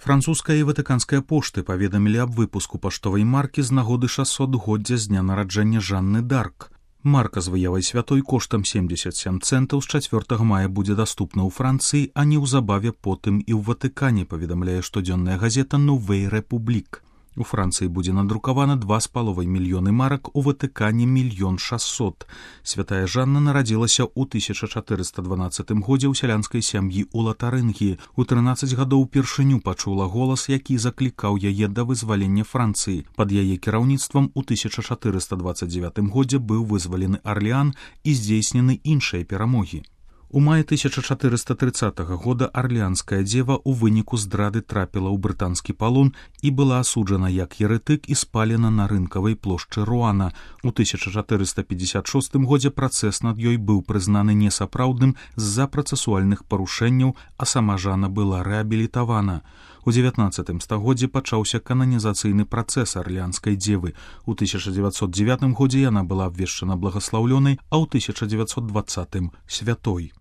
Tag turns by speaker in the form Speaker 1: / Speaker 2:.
Speaker 1: Французская і ватыканская пошты паведамілі аб выпуску паштовай маркі з нагоды 600-годдзя з дня нараджэння Жанны Дарк. Марка з выявай святой коштам 77 цэнтаў з 4 мая будзе даступна ў Францыі, а неўзабаве потым і ў Ватыкане, паведамляе штодзённая газета «Новей Рэпублік». У Францыі будзе надрукавана 2,5 мільёны марак, у Ватыкане 1 600 000. Святая Жанна нарадзілася ў 1412 годзе ў сялянскай сям'і ў Латарынгіі. У 13 гадоў упершыню пачула голас, які заклікаў яе да вызвалення Францыі. Пад яе кіраўніцтвам у 1429 годзе быў вызвалены Арлеан і здзейснены іншыя перамогі. У маі 1430 года арлеанская дзева ў выніку здрады трапіла ў брытанскі палон і была асуджана як еретык і спалена на рынкавай плошчы Руана. У 1456 годзе працэс над ёй быў прызнаны несапраўдным з-за працэсуальных парушэнняў, а сама Жанна была рэабілітавана. У 19 стагоддзі пачаўся кананізацыйны працэс арлеанскай дзевы. У 1909 годзе яна была абвешчана благаслаўлёнай, а ў 1920 святой.